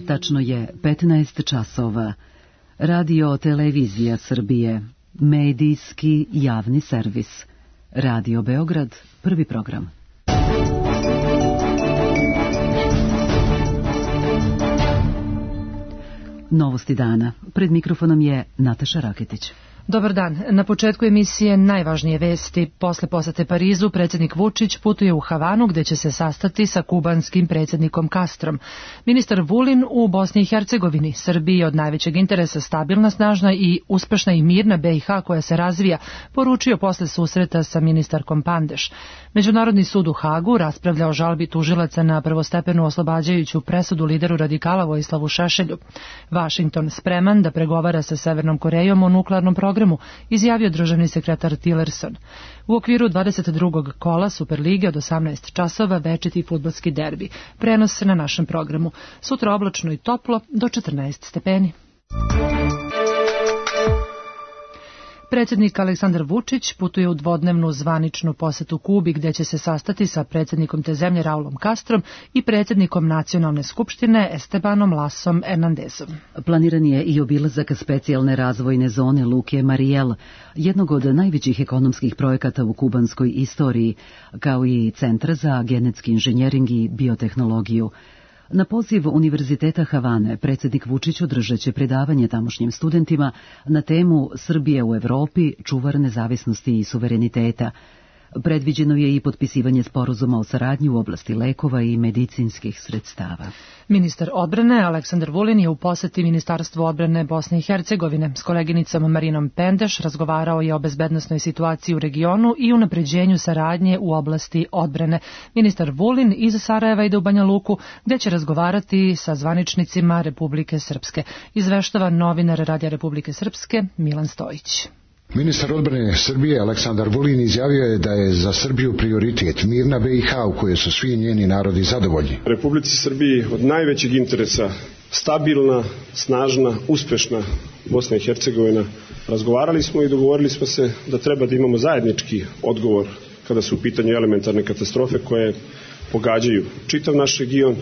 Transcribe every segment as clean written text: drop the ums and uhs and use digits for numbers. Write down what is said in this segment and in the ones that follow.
Tačno je 15 časova. Radio Televizija Srbije, medijski javni servis. Radio Beograd, prvi program. Novosti dana. Pred mikrofonom je Nataša Raketić. Dobar dan. Na početku emisije najvažnije vesti. Posle posete Parizu, predsjednik Vučić putuje u Havanu gdje će se sastati sa kubanskim predsjednikom Castrom. Ministar Vulin u Bosni i Hercegovini. Srbiji je od najvećeg interesa stabilna, snažna i uspešna i mirna BiH koja se razvija, poručio posle susreta sa ministarkom Pandeš. Međunarodni sud u Hagu raspravlja o žalbi tužilaca na prvostepenu oslobađajuću presudu lideru radikala Vojislavu Šešelju. Vašington spreman da pregovara sa Severnom Korejom o nuklearnom programu, izjavio državni sekretar Tillerson. U okviru 22. kola Superlige od 18 časova večiti fudbalski derbi. Prenos na našem programu. Sutra oblačno i toplo do 14 stepeni. Predsjednik Aleksandar Vučić putuje u dvodnevnu zvaničnu posetu Kubi gdje će se sastati sa predsjednikom te zemlje Raulom Castrom i predsjednikom Nacionalne skupštine Estebanom Lasom Hernandezom. Planiran je i obilazak specijalne razvojne zone Luke Marijel, jednog od najvećih ekonomskih projekata u kubanskoj istoriji, kao i Centra za genetski inženjering i biotehnologiju. Na poziv Univerziteta Havane predsjednik Vučić održat će predavanje tamošnjim studentima na temu Srbije u Evropi, čuvar nezavisnosti i suvereniteta. Predviđeno je i potpisivanje sporazuma o saradnji u oblasti lekova i medicinskih sredstava. Ministar odbrane Aleksandar Vulin je u poseti Ministarstvu odbrane Bosne i Hercegovine. S koleginicom Marinom Pendeš razgovarao je o bezbednosnoj situaciji u regionu i unapređenju saradnje u oblasti odbrane. Ministar Vulin iz Sarajeva ide u Banja Luku, gdje će razgovarati sa zvaničnicima Republike Srpske. Izveštava novinar Radija Republike Srpske Milan Stojić. Ministar odbrane Srbije Aleksandar Vulin izjavio je da je za Srbiju prioritet mirna BiH u kojoj su svi njeni narodi zadovoljni. Republici Srbiji od najvećeg interesa stabilna, snažna, uspešna Bosna i Hercegovina. Razgovarali smo i dogovorili smo se da treba da imamo zajednički odgovor kada su u pitanju elementarne katastrofe koje pogađaju čitav naš region,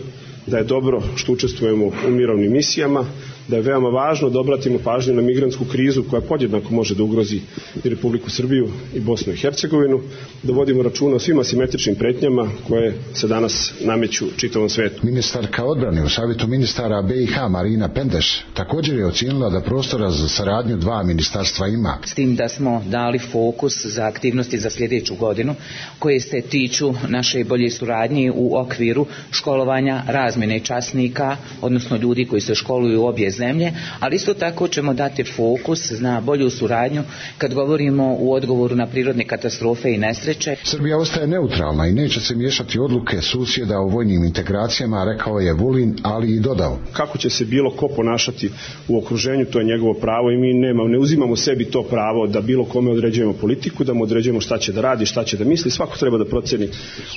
da je dobro što učestvujemo u mirovnim misijama, da je veoma važno da obratimo pažnju na migrantsku krizu koja podjednako može da ugrozi i Republiku Srbiju i Bosnu i Hercegovinu, da vodimo računa o svim asimetričnim pretnjama koje se danas nameću čitavom svetu. Ministarka odbrane u Savjetu ministara BiH Marina Pendeš također je ocijenila da prostora za saradnju dva ministarstva ima. S tim da smo dali fokus za aktivnosti za sljedeću godinu koje se tiču naše bolje suradnje u okviru školovanja razmjene časnika, odnosno ljudi koji se školuju u obje zemlje, ali isto tako ćemo dati fokus na bolju suradnju kad govorimo u odgovoru na prirodne katastrofe i nesreće. Srbija ostaje neutralna i neće se miješati odluke susjeda o vojnim integracijama, rekao je Vulin, ali i dodao. Kako će se bilo ko ponašati u okruženju, to je njegovo pravo i mi ne uzimamo sebi to pravo da bilo kome određujemo politiku, da mu određujemo šta će da radi, šta će da misli. Svako treba da proceni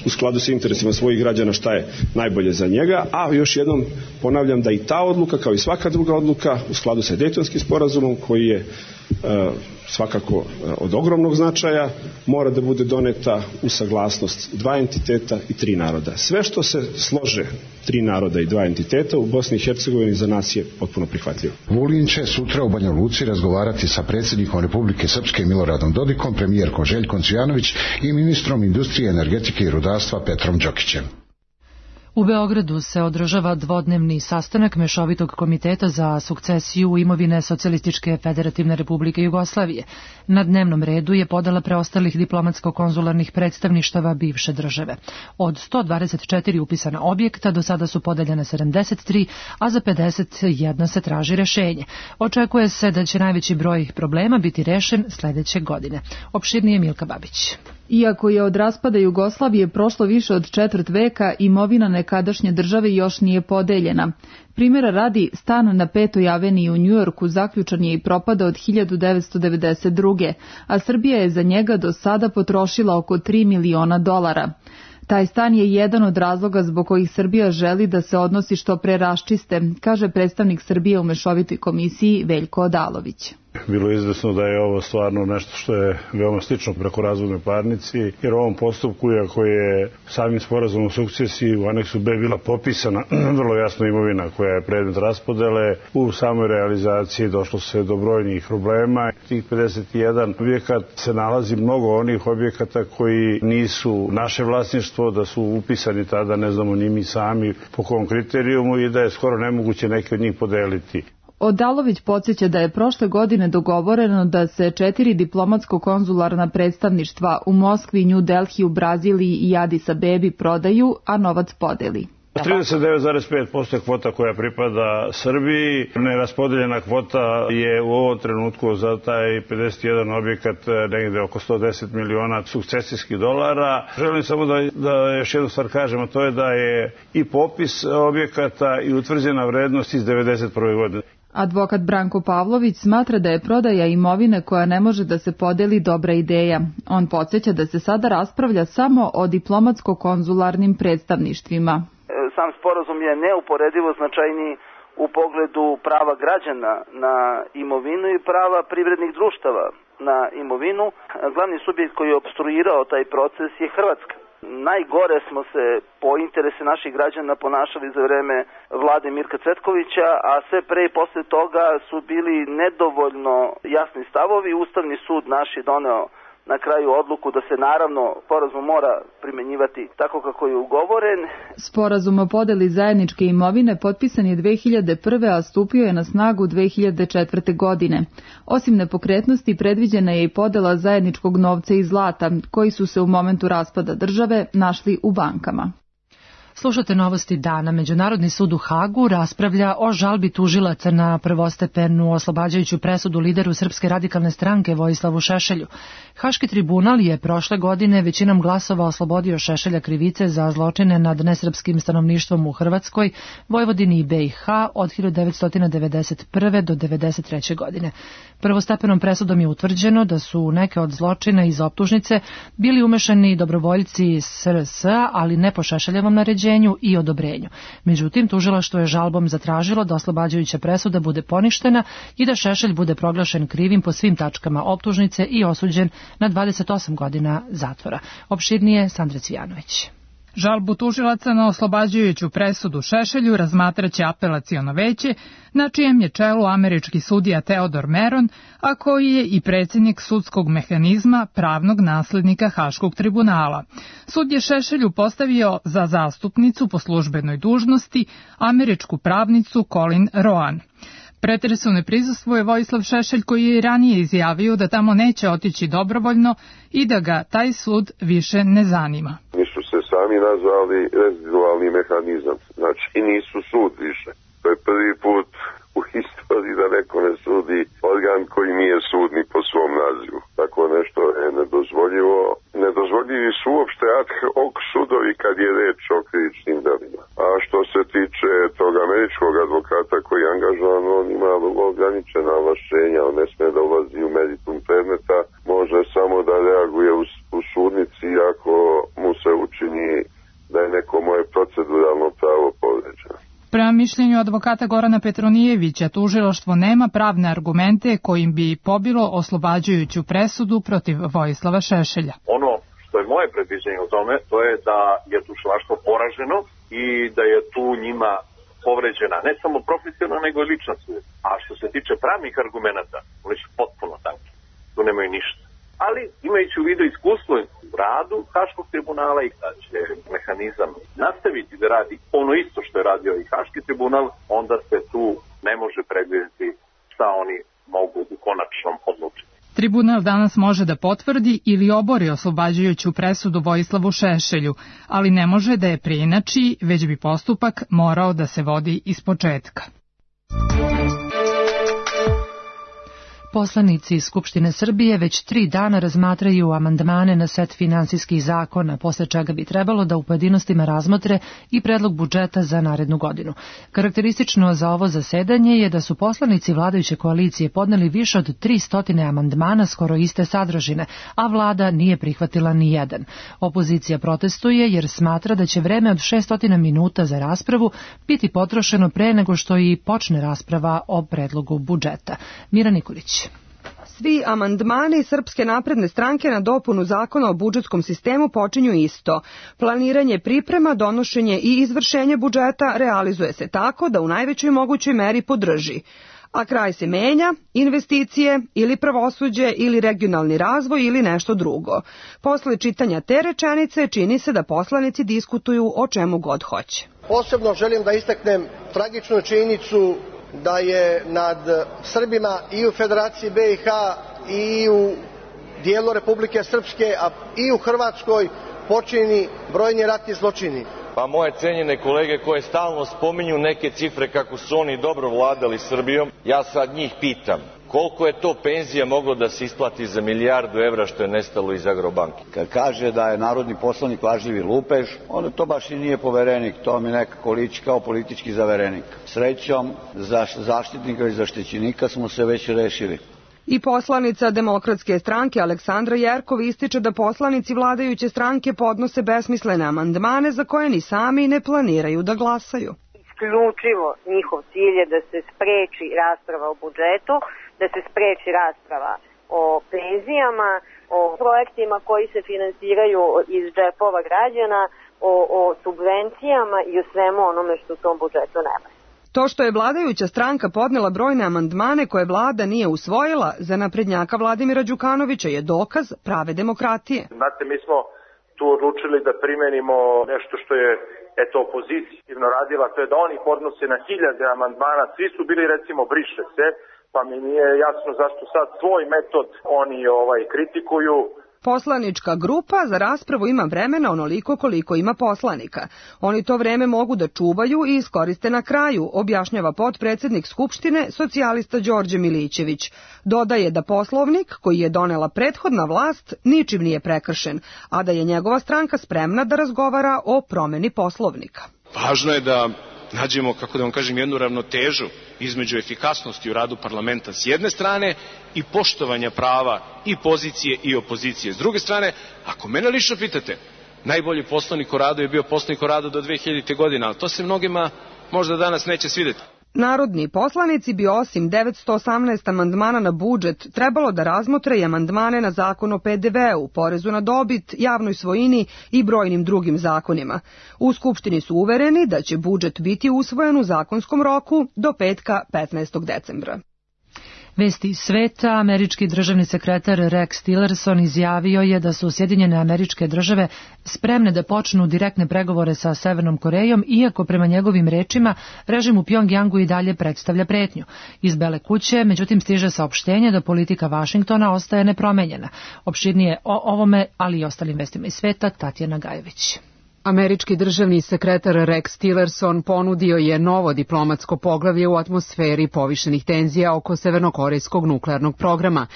u skladu sa interesima svojih građana šta je najbolje za njega, a još jednom ponavljam da i ta odluka, kao i svaka druga odluka, u skladu sa Dejtonskim sporazumom koji je svakako od ogromnog značaja, mora da bude doneta u saglasnost dva entiteta i tri naroda. Sve što se slože tri naroda i dva entiteta u Bosni i Hercegovini za nas je potpuno prihvatljivo. Vulin će sutra u Banja Luci razgovarati sa predsjednikom Republike Srpske Miloradom Dodikom, premijerkom Željkom Cvijanović i ministrom industrije, energetike i rudarstva Petrom Đokićem. U Beogradu se održava dvodnevni sastanak Mešovitog komiteta za sukcesiju imovine Socijalističke federativne republike Jugoslavije. Na dnevnom redu je podela preostalih diplomatsko-konzularnih predstavništava bivše države. Od 124 upisana objekta do sada su podeljene 73, a za 51 se traži rešenje. Očekuje se da će najveći broj problema biti rešen sljedeće godine. Opširnije Milka Babić. Iako je od raspada Jugoslavije prošlo više od četvrt veka, imovina nekadašnje države još nije podeljena. Primjera radi, stan na 5. aveniji u Njujorku zaključan je i propada od 1992. a Srbija je za njega do sada potrošila oko $3 miliona. Taj stan je jedan od razloga zbog kojih Srbija želi da se odnosi što pre raščiste, kaže predstavnik Srbije u Mešovitoj komisiji Veljko Odalović. Bilo je izvesno da je ovo stvarno nešto što je veoma slično brakorazvodnoj parnici, jer u ovom postupku, iako je samim sporazumom o sukcesiji u aneksu B bila popisana vrlo jasno imovina koja je predmet raspodele, u samoj realizaciji došlo se do brojnih problema. Tih 51 objekat se nalazi mnogo onih objekata koji nisu naše vlasništvo, da su upisani tada, ne znamo ni mi sami po kom kriterijumu i da je skoro nemoguće neke od njih podeliti. Odalović podsjeća da je prošle godine dogovoreno da se 4 diplomatsko-konzularna predstavništva u Moskvi, New Delhi, Braziliji i Addis Abebi prodaju, a novac podeli. 39,5% je kvota koja pripada Srbiji. Neraspodeljena kvota je u ovom trenutku za taj 51 objekat negde oko 110 miliona sukcesijskih dolara. Želim samo da još jednu stvar kažem, a to je da je i popis objekata i utvrđena vrednost iz 1991. godine. Advokat Branko Pavlović smatra da je prodaja imovine koja ne može da se podeli dobra ideja. On podsjeća da se sada raspravlja samo o diplomatsko-konzularnim predstavništvima. Sam sporazum je neuporedivo značajniji u pogledu prava građana na imovinu i prava privrednih društava na imovinu. Glavni subjekt koji je opstruirao taj proces je Hrvatska. Najgore smo se po interese naših građana ponašali za vreme vlade Mirka Cvetkovića, a sve pre i posle toga su bili nedovoljno jasni stavovi. Ustavni sud naš je doneo na kraju odluku da se naravno sporazum mora primenjivati tako kako je ugovoren. Sporazum o podeli zajedničke imovine potpisan je 2001. a stupio je na snagu 2004. godine. Osim nepokretnosti, predviđena je i podela zajedničkog novca i zlata, koji su se u momentu raspada države našli u bankama. Slušate novosti dana. Međunarodni sud u Hagu raspravlja o žalbi tužilaca na prvostepenu oslobađajuću presudu lideru Srpske radikalne stranke Vojislavu Šešelju. Haški tribunal je prošle godine većinom glasova oslobodio Šešelja krivice za zločine nad nesrpskim stanovništvom u Hrvatskoj, Vojvodini i BiH od 1991. do 1993. godine. Prvostepenom presudom je utvrđeno da su neke od zločina iz optužnice bili umešani dobrovoljci SRS, ali ne po Šešeljevom naređenju i odobrenju. Međutim, tužilaštvo je žalbom zatražilo da oslobađajuća presuda bude poništena i da Šešelj bude proglašen krivim po svim tačkama optužnice i osuđen na 28 godina zatvora. Opširnije Sandra Cvijanović. Žalbu tužilaca na oslobađajuću presudu Šešelju razmatraće apelaciono veće, na čijem je čelu američki sudija Teodor Meron, a koji je i predsjednik sudskog mehanizma pravnog naslednika Haškog tribunala. Sud je Šešelju postavio za zastupnicu po službenoj dužnosti američku pravnicu Colin Roan. Pretresu ne prisustvuje Vojislav Šešelj, koji je ranije izjavio da tamo neće otići dobrovoljno i da ga taj sud više ne zanima. Nisu se sami nazvali rezidualni mehanizam, znači nisu sud više. To je prvi put u istoriji da neko ne sudi organ koji nije sud ni po svom nazivu. Tako nešto je nedozvoljivo. Nedozvoljivi su uopšte ad hoc sudovi kad je reč o krivičnim delima. A što se tiče tog američkog advokata koji je angažovan, on ima vrlo ograničena ovlašćenja, on ne sme da ulazi u meritum predmeta, može samo da reaguje u sudnici ako mu se učini da je neko moje proceduralno pravo povređeno. Prema mišljenju advokata Gorana Petronijevića, tužilaštvo nema pravne argumente kojim bi pobilo oslobađajuću presudu protiv Vojislava Šešelja. Ono što je moje predviđenje o tome, to je da je tužilaštvo poraženo i da je tu njima povređena ne samo profesionalna, nego i lična svijest. A što se tiče pravnih argumenata, oni su potpuno tanki. Tu nemaju ništa. Ali imajući u vidu iskustvo u radu Haškog tribunala i da će mehanizam nastaviti da radi ono isto što je radio i Haški tribunal, onda se tu ne može predvidjeti šta oni mogu u konačnom odlučiti. Tribunal danas može da potvrdi ili obori oslobađajuću presudu Vojislavu Šešelju, ali ne može da je preinači, već bi postupak morao da se vodi ispočetka. Poslanici Skupštine Srbije već 3 dana razmatraju amandmane na set finansijskih zakona, posle čega bi trebalo da u pojedinostima razmotre i predlog budžeta za narednu godinu. Karakteristično za ovo zasedanje je da su poslanici vladajuće koalicije podneli više od 300 amandmana skoro iste sadržine, a vlada nije prihvatila ni jedan. Opozicija protestuje jer smatra da će vreme od 600 minuta za raspravu biti potrošeno pre nego što i počne rasprava o predlogu budžeta. Mira Nikolić. Svi amandmani Srpske napredne stranke na dopunu zakona o budžetskom sistemu počinju isto. Planiranje priprema, donošenje i izvršenje budžeta realizuje se tako da u najvećoj mogućoj meri podrži. A kraj se menja, investicije ili pravosuđe ili regionalni razvoj ili nešto drugo. Posle čitanja te rečenice čini se da poslanici diskutuju o čemu god hoće. Posebno želim da istaknem tragičnu činjenicu da je nad Srbima i u Federaciji BiH i u dijelu Republike Srpske, a i u Hrvatskoj počinjeni brojni ratni zločini. Pa moje cenjene kolege koje stalno spominju neke cifre kako su oni dobro vladali Srbijom, ja sad njih pitam koliko je to penzija moglo da se isplati za €1.000.000 što je nestalo iz Agrobanke. Kad kaže da je narodni poslanik lažljivi lupež, onda to baš i nije poverenik, to mi nekako liči kao politički zaverenik. Srećom, za zaštitnika i zaštićenika smo se već rešili. I poslanica Demokratske stranke Aleksandra Jerkov ističe da poslanici vladajuće stranke podnose besmislene amandmane za koje ni sami ne planiraju da glasaju. Isključivo njihov cilj je da se spreči rasprava o budžetu, da se spreči rasprava o penzijama, o projektima koji se finansiraju iz džepova građana, o subvencijama i o svemu onome što u tom budžetu nema. To što je vladajuća stranka podnela brojne amandmane koje vlada nije usvojila, za naprednjaka Vladimira Đukanovića je dokaz prave demokratije. Znate, mi smo tu odlučili da primenimo nešto što je opozicijno radila, to je da oni podnose na 1000 amandmana, svi su bili recimo briše se, pa mi nije jasno zašto sad svoj metod oni kritikuju. Poslanička grupa za raspravu ima vremena onoliko koliko ima poslanika. Oni to vreme mogu da čuvaju i iskoriste na kraju, objašnjava potpredsednik Skupštine, socijalista Đorđe Milićević. Dodaje da Poslovnik, koji je donela prethodna vlast, ničim nije prekršen, a da je njegova stranka spremna da razgovara o promeni Poslovnika. Važno je da nađemo, kako da vam kažem, jednu ravnotežu između efikasnosti u radu parlamenta s jedne strane i poštovanja prava i pozicije i opozicije. S druge strane, ako mene lično pitate, najbolji poslanik o radu je bio poslanik o radu do 2000. godine, ali to se mnogima možda danas neće svideti. Narodni poslanici bi osim 918 amandmana na budžet trebalo da razmotre i amandmane na zakon o PDV-u, porezu na dobit, javnoj svojini i brojnim drugim zakonima. U Skupštini su uvereni da će budžet biti usvojen u zakonskom roku do petka 15. decembra. Vesti iz sveta, američki državni sekretar Rex Tillerson izjavio je da su Sjedinjene Američke Države spremne da počnu direktne pregovore sa Severnom Korejom, iako prema njegovim rečima režim u Pjongjangu i dalje predstavlja pretnju. Iz Bele kuće, međutim, stiže saopštenje da politika Vašingtona ostaje nepromenjena. Opširnije o ovome, ali i ostalim vestima iz sveta, Tatjana Gajević. Američki državni sekretar Rex Tillerson ponudio je novo diplomatsko poglavlje u atmosferi povišenih tenzija oko severnokorejskog nuklearnog programa.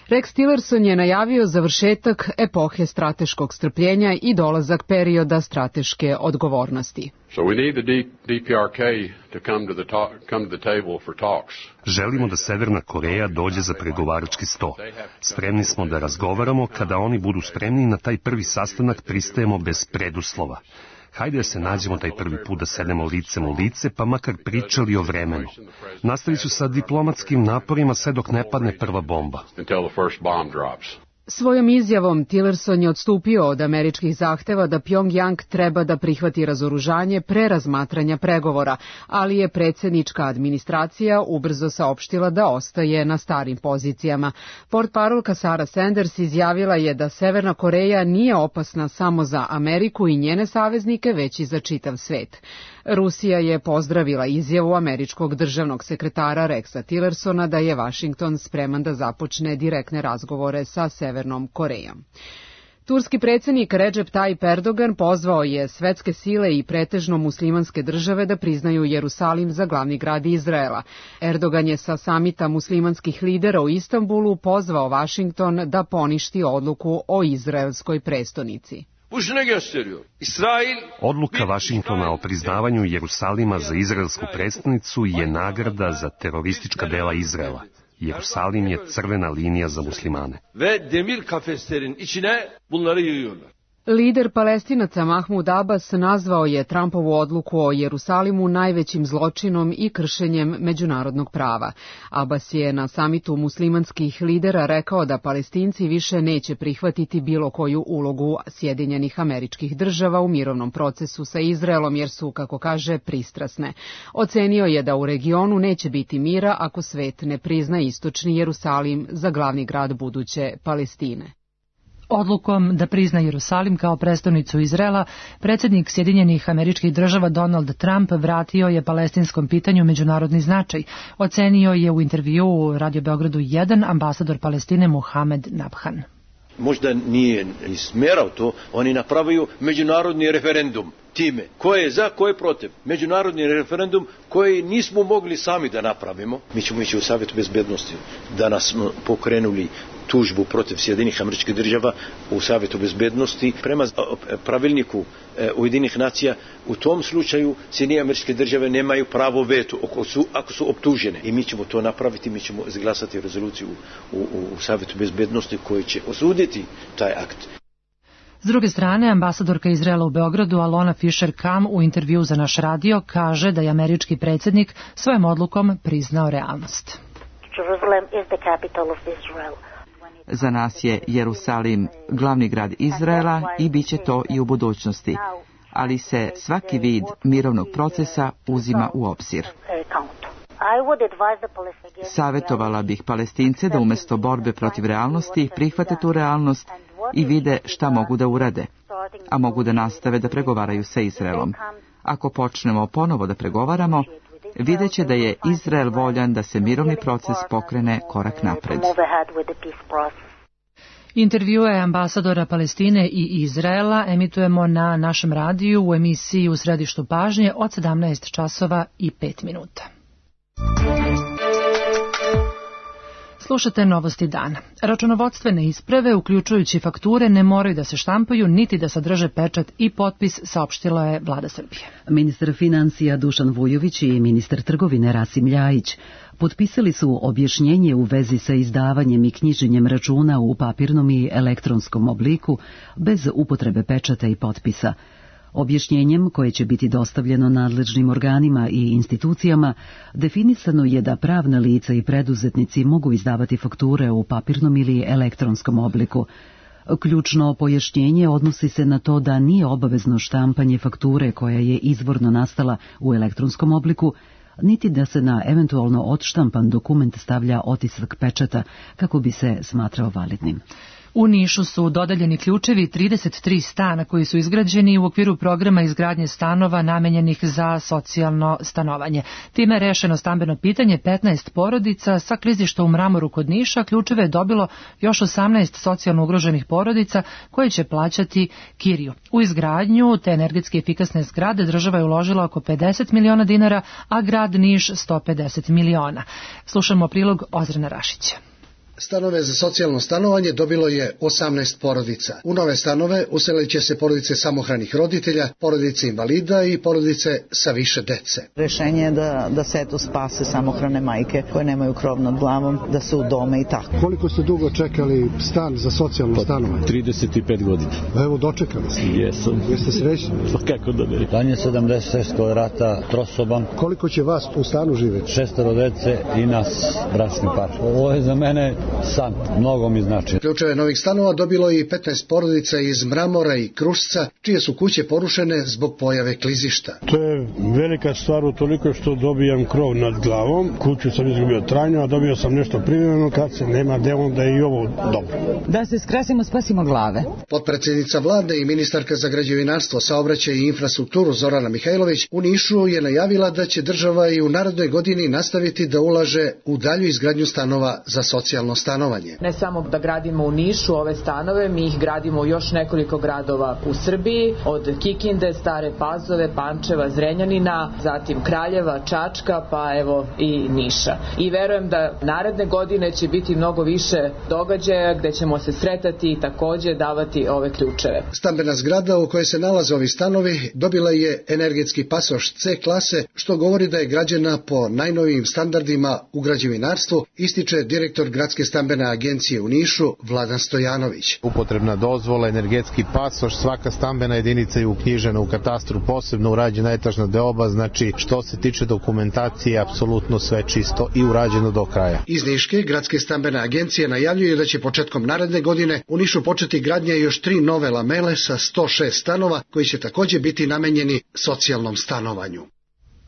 Rex Tillerson je najavio završetak epohe strateškog strpljenja i dolazak perioda strateške odgovornosti. Želimo da Severna Koreja dođe za pregovarački sto. Spremni smo da razgovaramo, kada oni budu spremni na taj prvi sastanak pristajemo bez preduslova. Hajde da se nađemo taj prvi put da sedemo licem u lice, pa makar pričali o vremenu. Nastavit ću sa diplomatskim naporima sve dok ne padne prva bomba. Svojom izjavom Tillerson je odstupio od američkih zahteva da Pjongjang treba da prihvati razoružanje pre razmatranja pregovora, ali je predsjednička administracija ubrzo saopštila da ostaje na starim pozicijama. Portparolka Sarah Sanders izjavila je da Severna Koreja nije opasna samo za Ameriku i njene saveznike, već i za čitav svet. Rusija je pozdravila izjavu američkog državnog sekretara Rexa Tillersona da je Vašington spreman da započne direktne razgovore sa Severnom Korejom. Turski predsjednik Recep Tayyip Erdogan pozvao je svetske sile i pretežno muslimanske države da priznaju Jerusalim za glavni grad Izraela. Erdogan je sa samita muslimanskih lidera u Istanbulu pozvao Vašington da poništi odluku o izraelskoj prestonici. Odluka Vašingtona o priznavanju Jerusalima za izraelsku prestonicu je nagrada za teroristička dela Izraela. Jerusalim je crvena linija za muslimane. Lider Palestinaca Mahmud Abbas nazvao je Trumpovu odluku o Jerusalimu najvećim zločinom i kršenjem međunarodnog prava. Abbas je na samitu muslimanskih lidera rekao da Palestinci više neće prihvatiti bilo koju ulogu Sjedinjenih Američkih Država u mirovnom procesu sa Izraelom jer su, kako kaže, pristrasne. Ocenio je da u regionu neće biti mira ako svet ne prizna istočni Jerusalim za glavni grad buduće Palestine. Odlukom da prizna Jerusalim kao prestonicu Izraela, predsjednik Sjedinjenih Američkih Država Donald Trump vratio je palestinskom pitanju međunarodni značaj. Ocenio je u intervjuu u Radio Beogradu 1 ambasador Palestine Mohamed Nabhan. Možda nije smerao to, oni napravaju međunarodni referendum time. Ko je za, ko je protiv. Međunarodni referendum koji nismo mogli sami da napravimo. Mi ćemo ići u Savjetu bezbednosti. Danas smo pokrenuli tužbu protiv Sjedinjenih Američkih Država u Savjetu bezbednosti. Prema pravilniku Ujedinjenih nacija, u tom slučaju Sjedinjene Američke Države nemaju pravo veto ako su optužene. I mi ćemo to napraviti, mi ćemo izglasati rezoluciju u Savjetu bezbednosti koji će osuditi taj akt. S druge strane, ambasadorka Izraela u Beogradu Alona Fischer-Kam u intervju za naš radio kaže da je američki predsjednik svojom odlukom priznao realnost. Za nas je Jerusalim glavni grad Izraela i bit će to i u budućnosti, ali se svaki vid mirovnog procesa uzima u obzir. Savjetovala bih Palestince da umjesto borbe protiv realnosti prihvate tu realnost i vide šta mogu da urade, a mogu da nastave da pregovaraju sa Izraelom. Ako počnemo ponovo da pregovaramo, vidjet će da je Izrael voljan da se mirovni proces pokrene korak napred. Intervjue ambasadora Palestine i Izraela emitujemo na našem radiju u emisiji U središtu pažnje od 17 časova i 5 minuta. Slušate novosti dana. Računovodstvene isprave, uključujući fakture, ne moraju da se štampaju niti da sadrže pečat i potpis, saopštila je Vlada Srbije. Ministar financija Dušan Vujović i ministar trgovine Rasim Ljajić potpisali su objašnjenje u vezi sa izdavanjem i knjiženjem računa u papirnom i elektronskom obliku bez upotrebe pečata i potpisa. Objašnjenjem, koje će biti dostavljeno nadležnim organima i institucijama, definisano je da pravna lica i preduzetnici mogu izdavati fakture u papirnom ili elektronskom obliku. Ključno pojašnjenje odnosi se na to da nije obavezno štampanje fakture koja je izvorno nastala u elektronskom obliku, niti da se na eventualno odštampan dokument stavlja otisak pečata kako bi se smatrao validnim. U Nišu su dodeljeni ključevi 33 stana koji su izgrađeni u okviru programa izgradnje stanova namenjenih za socijalno stanovanje. Time je rešeno stambeno pitanje 15 porodica sa klizišta u Mramoru kod Niša. Ključeve je dobilo još 18 socijalno ugroženih porodica koje će plaćati kiriju. U izgradnju te energetski efikasne zgrade država je uložila oko 50 miliona dinara, a grad Niš 150 miliona. Slušamo prilog Ozrena Rašića. Stanove za socijalno stanovanje dobilo je 18 porodica. U nove stanove uselit će se porodice samohranih roditelja, porodice invalida i porodice sa više dece. Rešenje je da se spase samohrane majke koje nemaju krov nad glavom, da se udome i tako. Koliko ste dugo čekali stan za socijalno stanovanje? 35 godina. Evo, dočekali ste. Jesam. Jeste srećni? Kako da ne? Stan je 76 kvadrata, trosoban. Koliko će vas u stanu živjeti? 6 dece i nas, bračni par. Ovo je za mene san, mnogo mi znači. Ključeve novih stanova dobilo i 15 porodica iz Mramora i Krušca, čije su kuće porušene zbog pojave klizišta. To je velika stvar utoliko što dobijam krov nad glavom. Kuću sam izgubio trajno, a dobio sam nešto privremeno. Kad se nema gde, onda je i ovo dobro. Da se skrasimo, spasimo glave. Potpredsjednica vlade i ministarka za građevinarstvo, saobraćaj i infrastrukturu Zorana Mihajlović u Nišu je najavila da će država i u narednoj godini nastaviti da ulaže u dalju izgradnju stanova za socijalno stanovanje. Ne samo da gradimo u Nišu ove stanove, mi ih gradimo u još nekoliko gradova u Srbiji, od Kikinde, Stare Pazove, Pančeva, Zrenjanina, zatim Kraljeva, Čačka, pa evo i Niša. I verujem da naredne godine će biti mnogo više događaja gde ćemo se sretati i takođe davati ove ključeve. Stambena zgrada u kojoj se nalaze ovi stanovi dobila je energetski pasoš C klase, što govori da je građena po najnovijim standardima u građevinarstvu, ističe direktor gradske Gradske stambene agencije u Nišu Vladan Stojanović. Upotrebna dozvola, energetski pasoš, svaka stambena jedinica je uknjižena u katastru, posebno urađena etažna deoba, znači što se tiče dokumentacije, apsolutno sve čisto i urađeno do kraja. Iz Niške Gradske stambene agencije najavljuju da će početkom naredne godine u Nišu početi gradnja još 3 nove lamele sa 106 stanova koji će također biti namenjeni socijalnom stanovanju.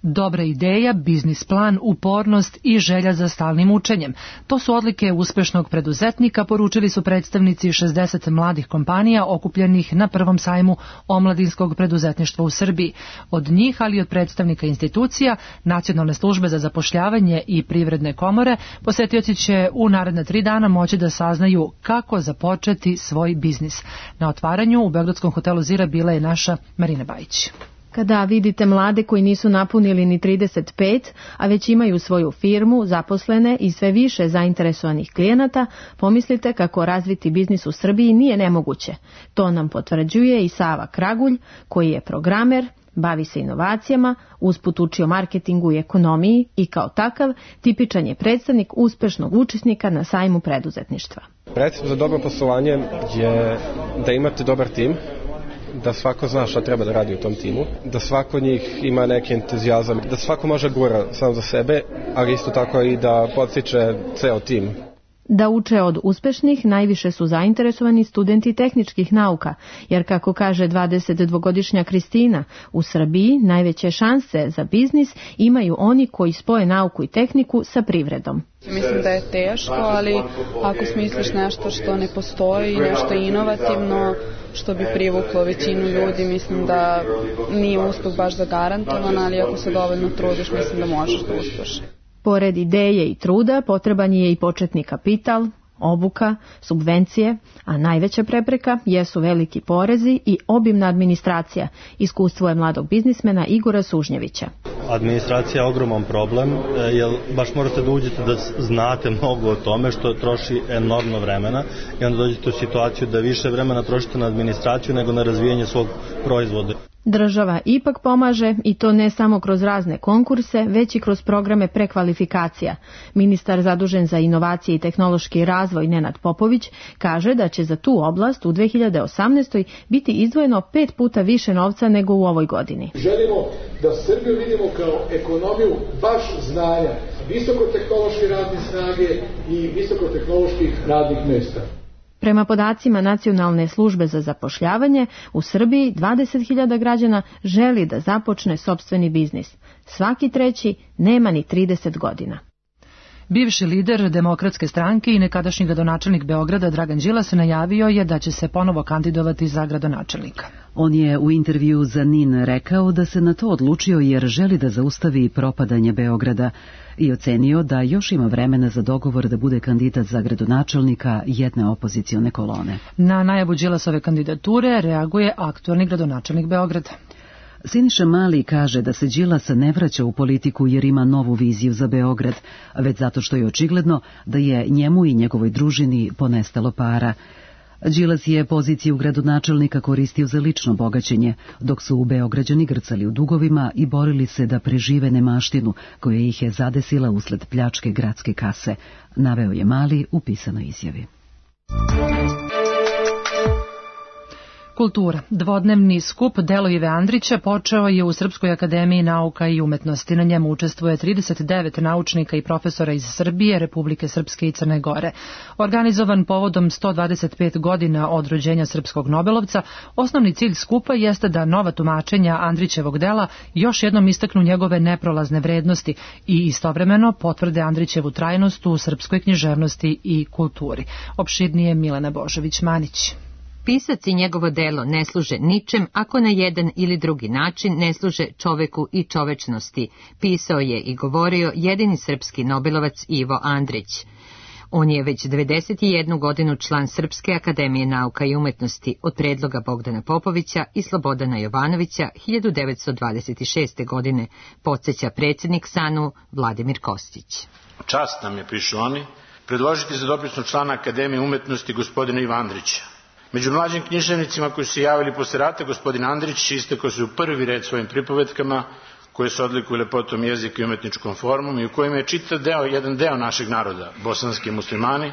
Dobra ideja, biznis plan, upornost i želja za stalnim učenjem. To su odlike uspešnog preduzetnika, poručili su predstavnici 60 mladih kompanija okupljenih na prvom sajmu omladinskog preduzetništva u Srbiji. Od njih, ali i od predstavnika institucija, Nacionalne službe za zapošljavanje i privredne komore, posetioci će u naredna 3 dana moći da saznaju kako započeti svoj biznis. Na otvaranju u Beogradskom hotelu Zira bila je naša Marina Bajić. Kada vidite mlade koji nisu napunili ni 35, a već imaju svoju firmu, zaposlene i sve više zainteresovanih klijenata, pomislite kako razviti biznis u Srbiji nije nemoguće. To nam potvrđuje i Sava Kragulj, koji je programer, bavi se inovacijama, usput učio marketingu i ekonomiji i kao takav tipičan je predstavnik uspešnog učesnika na sajmu preduzetništva. Recept za dobro poslovanje je da imate dobar tim, da svako zna šta treba da radi u tom timu, da svako njih ima neki entuzijazam, da svako može gura sam za sebe, ali isto tako i da podstiče ceo tim. Da uče od uspešnih najviše su zainteresovani studenti tehničkih nauka, jer kako kaže 22-godišnja Kristina, u Srbiji najveće šanse za biznis imaju oni koji spoje nauku i tehniku sa privredom. Mislim da je teško, ali ako smisliš nešto što ne postoji, nešto inovativno, što bi privuklo većinu ljudi, mislim da nije uspeh baš zagarantovan, ali ako se dovoljno trudiš, mislim da možeš da uspeš. Pored ideje i truda potreban je i početni kapital, obuka, subvencije, a najveća prepreka jesu veliki porezi i obimna administracija, iskustvo je mladog biznismena Igora Sužnjevića. Administracija je ogroman problem, jer baš morate da uđete da znate mnogo o tome, što troši enormno vremena i onda dođete u situaciju da više vremena trošite na administraciju nego na razvijanje svog proizvoda. Država ipak pomaže i to ne samo kroz razne konkurse, već i kroz programe prekvalifikacija. Ministar zadužen za inovacije i tehnološki razvoj Nenad Popović kaže da će za tu oblast u 2018. biti izdvojeno 5 puta više novca nego u ovoj godini. Želimo da Srbiju vidimo kao ekonomiju baš znanja, visokotehnološke radne snage i visokotehnoloških radnih mjesta. Prema podacima Nacionalne službe za zapošljavanje, u Srbiji 20.000 građana želi da započne sopstveni biznis. Svaki treći nema ni 30 godina. Bivši lider Demokratske stranke i nekadašnji gradonačelnik Beograda Dragan Đilas najavio je da će se ponovo kandidovati za gradonačelnika. On je u intervju za NIN rekao da se na to odlučio jer želi da zaustavi propadanje Beograda i ocenio da još ima vremena za dogovor da bude kandidat za gradonačelnika jedne opozicione kolone. Na najavu Đilasove kandidature reaguje aktualni gradonačelnik Beograda. Siniša Mali kaže da se Đilas ne vraća u politiku jer ima novu viziju za Beograd, već zato što je očigledno da je njemu i njegovoj družini ponestalo para. Đilas je poziciju gradonačelnika koristio za lično bogaćenje, dok su Beograđani grcali u dugovima i borili se da prežive nemaštinu koja ih je zadesila usled pljačke gradske kase, naveo je Mali u pisanoj izjavi. Kultura. Dvodnevni skup Delo Ive Andrića počeo je u Srpskoj akademiji nauka i umetnosti. Na njemu učestvuje 39 naučnika i profesora iz Srbije, Republike Srpske i Crne Gore. Organizovan povodom 125 godina od rođenja srpskog Nobelovca, osnovni cilj skupa jeste da nova tumačenja Andrićevog dela još jednom istaknu njegove neprolazne vrednosti i istovremeno potvrde Andrićevu trajnost u srpskoj književnosti i kulturi. Opširnije Milena Božović-Manić. Pisac i njegovo delo ne služe ničem ako na jedan ili drugi način ne služe čoveku i čovečnosti, pisao je i govorio jedini srpski Nobelovac Ivo Andrić. On je već 91 godinu član Srpske akademije nauka i umetnosti od predloga Bogdana Popovića i Slobodana Jovanovića 1926. godine, podsjeća predsjednik SANU Vladimir Kostić. Čast nam je, pišu oni, predložiti za dopisnog člana Akademije umetnosti gospodina Iva Andrića. Među mlađim književnicima koji su se javili posle rata, gospodin Andrić istakao se u prvi red svojim pripovetkama koje se odlikuju lepotom jezika i umetničkom formom i u kojima je čitav jedan deo našeg naroda, bosanski muslimani,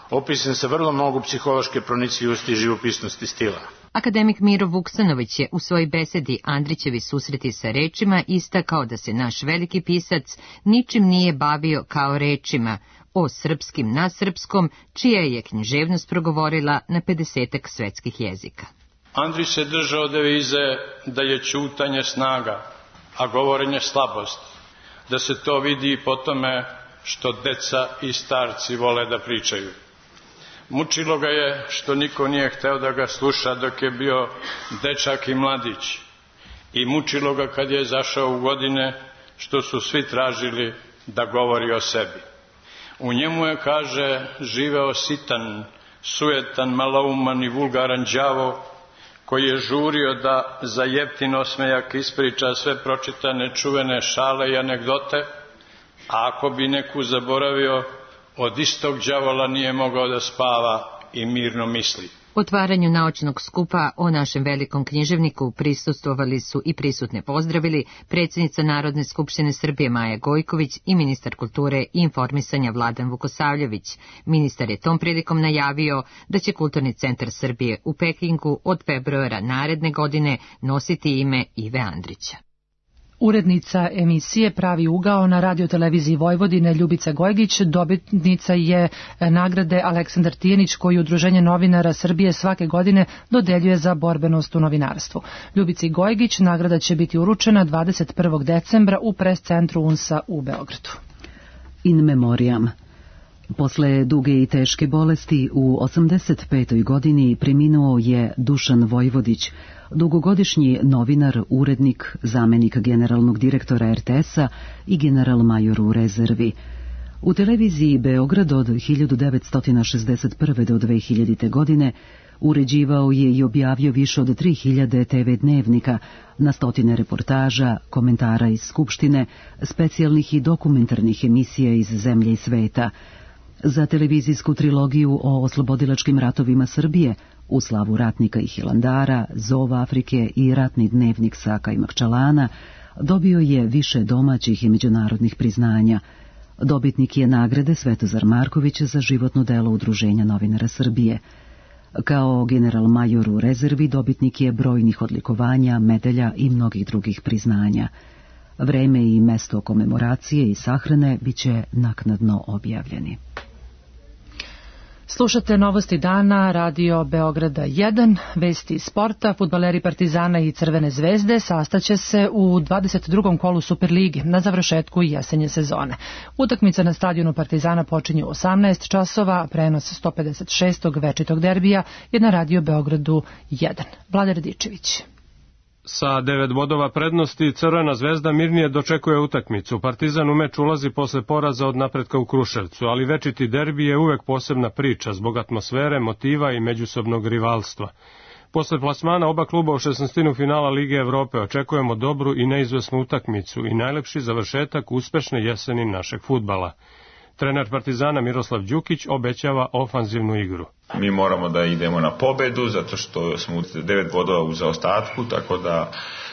opisan sa vrlo mnogo psihološke pronicljivosti i živopisnosti stila. Akademik Miro Vuksanović je u svojoj besedi Andrićevi susreti sa rečima istakao da se naš veliki pisac ničim nije bavio kao rečima, o srpskim na srpskom, čija je književnost progovorila na 50-ak svetskih jezika. Andrić se držao devize da je ćutanje snaga, a govorenje slabost, da se to vidi po tome što deca i starci vole da pričaju. Mučilo ga je što niko nije hteo da ga sluša dok je bio dečak i mladić. I mučilo ga kad je zašao u godine što su svi tražili da govori o sebi. U njemu je, kaže, živeo sitan, sujetan, malouman i vulgaran đavo, koji je žurio da za jeftin osmejak ispriča sve pročitane čuvene šale i anegdote, a ako bi neku zaboravio, od istog đavola nije mogao da spava i mirno misli. Otvaranju naučnog skupa o našem velikom književniku prisustvovali su i prisutne pozdravili predsjednica Narodne skupštine Srbije Maja Gojković i ministar kulture i informisanja Vladan Vukosavljević. Ministar je tom prilikom najavio da će Kulturni centar Srbije u Pekingu od februara naredne godine nositi ime Ive Andrića. Urednica emisije Pravi ugao na radioteleviziji Vojvodine Ljubica Gojgić dobitnica je nagrade Aleksandar Tijenić koju Udruženje novinara Srbije svake godine dodeljuje za borbenost u novinarstvu. Ljubici Gojgić nagrada će biti uručena 21. decembra u pres centru UNS-a u Beogradu. In memoriam. Posle duge i teške bolesti u 85. godini preminuo je Dušan Vojvodić, dugogodišnji novinar, urednik, zamenik generalnog direktora RTS-a i general-major u rezervi. U televiziji Beograd od 1961. do 2000. godine uređivao je i objavio više od 3000 TV dnevnika, na stotine reportaža, komentara iz Skupštine, specijalnih i dokumentarnih emisija iz zemlje i sveta. Za televizijsku trilogiju o oslobodilačkim ratovima Srbije, U slavu ratnika i Hilandara, Zov Afrike i Ratni dnevnik sa Kajmakčalana, dobio je više domaćih i međunarodnih priznanja. Dobitnik je nagrade Svetozar Marković za životno delo Udruženja novinara Srbije. Kao general-major u rezervi dobitnik je brojnih odlikovanja, medalja i mnogih drugih priznanja. Vreme i mesto komemoracije i sahrane biće naknadno objavljeni. Slušate novosti dana, Radio Beograda 1, vesti sporta, fudbaleri Partizana i Crvene zvezde sastaće se u 22. kolu Superligi na završetku jesenje sezone. Utakmica na stadionu Partizana počinje u 18 časova, prenos 156. večitog derbija je na Radio Beogradu 1. Vlada Radičević. Sa 9 bodova prednosti Crvena zvezda mirnije dočekuje utakmicu. Partizan u meč ulazi posle poraza od Napretka u Kruševcu, ali večiti derbi je uvek posebna priča zbog atmosfere, motiva i međusobnog rivalstva. Posle plasmana oba kluba u 16. finala Lige Evrope očekujemo dobru i neizvesnu utakmicu i najlepši završetak uspešne jeseni našeg fudbala. Trener Partizana Miroslav Đukić obećava ofanzivnu igru. Mi moramo da idemo na pobedu, zato što smo 9 bodova u zaostatku, tako da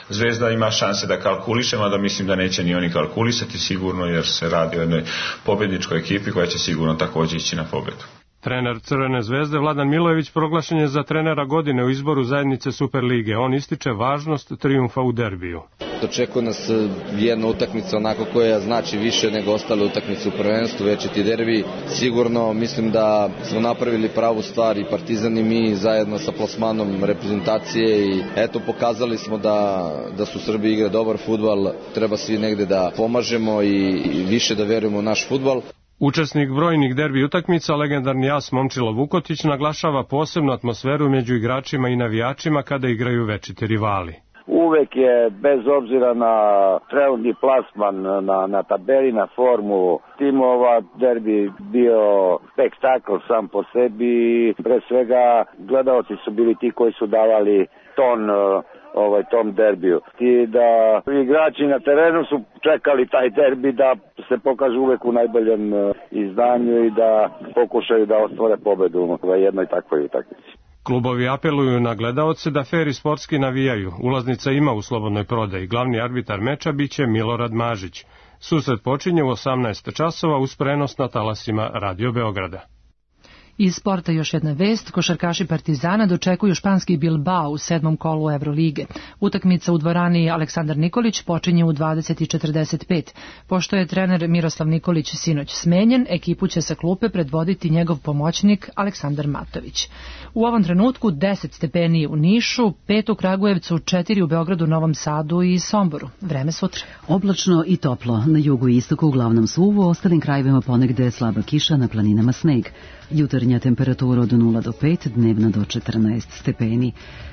Zvezda ima šanse da kalkuliše, mada mislim da neće ni oni kalkulisati sigurno, jer se radi o jednoj pobedničkoj ekipi koja će sigurno također ići na pobedu. Trener Crvene zvezde Vladan Milojević proglašen je za trenera godine u izboru zajednice Superlige. On ističe važnost trijumfa u derbiju. Očekuje nas jedna utakmica onako koja znači više nego ostale utakmice u prvenstvu, večiti derbi. Sigurno mislim da smo napravili pravu stvar i Partizan i mi zajedno sa plasmanom reprezentacije i eto pokazali smo da su Srbi igre dobar fudbal, treba svi negde da pomažemo i više da verujemo u naš fudbal. Učesnik brojnih derbi utakmica, legendarni as Momčilo Vukotić, naglašava posebnu atmosferu među igračima i navijačima kada igraju večiti rivali. Uvek je, bez obzira na trenutni plasman, na tabeli, na formu timova, derbi bio spektakl sam po sebi. Pre svega, gledaoci su bili ti koji su davali ton tom derbiju. I da igrači na terenu su čekali taj derbi da se pokažu uvek u najboljem izdanju i da pokušaju da ostvare pobedu u jednoj takvoj utakmici. Klubovi apeluju na gledaoce da fer i sportski navijaju. Ulaznica ima u slobodnoj prodaji. Glavni arbitar meča biće Milorad Mažić. Susret počinje u 18 časova uz prenos na talasima Radio Beograda. Iz sporta još jedna vest, košarkaši Partizana dočekuju španski Bilbao u 7. kolu Evrolige. Utakmica u dvorani Aleksandar Nikolić počinje u 20:45. Pošto je trener Miroslav Nikolić sinoć smenjen, ekipu će sa klupe predvoditi njegov pomoćnik Aleksandar Matović. U ovom trenutku 10 stepeni u Nišu, 5 u Kragujevcu, 4 u Beogradu, Novom Sadu i Somboru. Vreme sutra. Oblačno i toplo, na jugu i istoku uglavnom suvo, u ostalim krajevima ponegde slaba kiša, na planinama sneg. Jutarnja temperatura od 0 do 5, dnevna do 14 stepeni.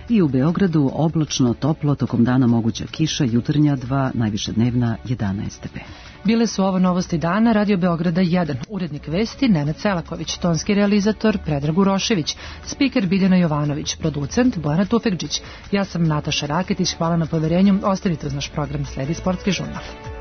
I u Beogradu oblačno, toplo, tokom dana moguća kiša, jutarnja 2, najviše dnevna 11 stepeni. Bile su ovo novosti dana Radio Beograda 1. Urednik vesti Nenad Selaković, tonski realizator Predrag Urošević, spiker Biljana Jovanović, producent Bojana Tufekđić. Ja sam Nataša Raketić, hvala na poverenju. Ostanite uz naš program, sledi Sportski žurnal.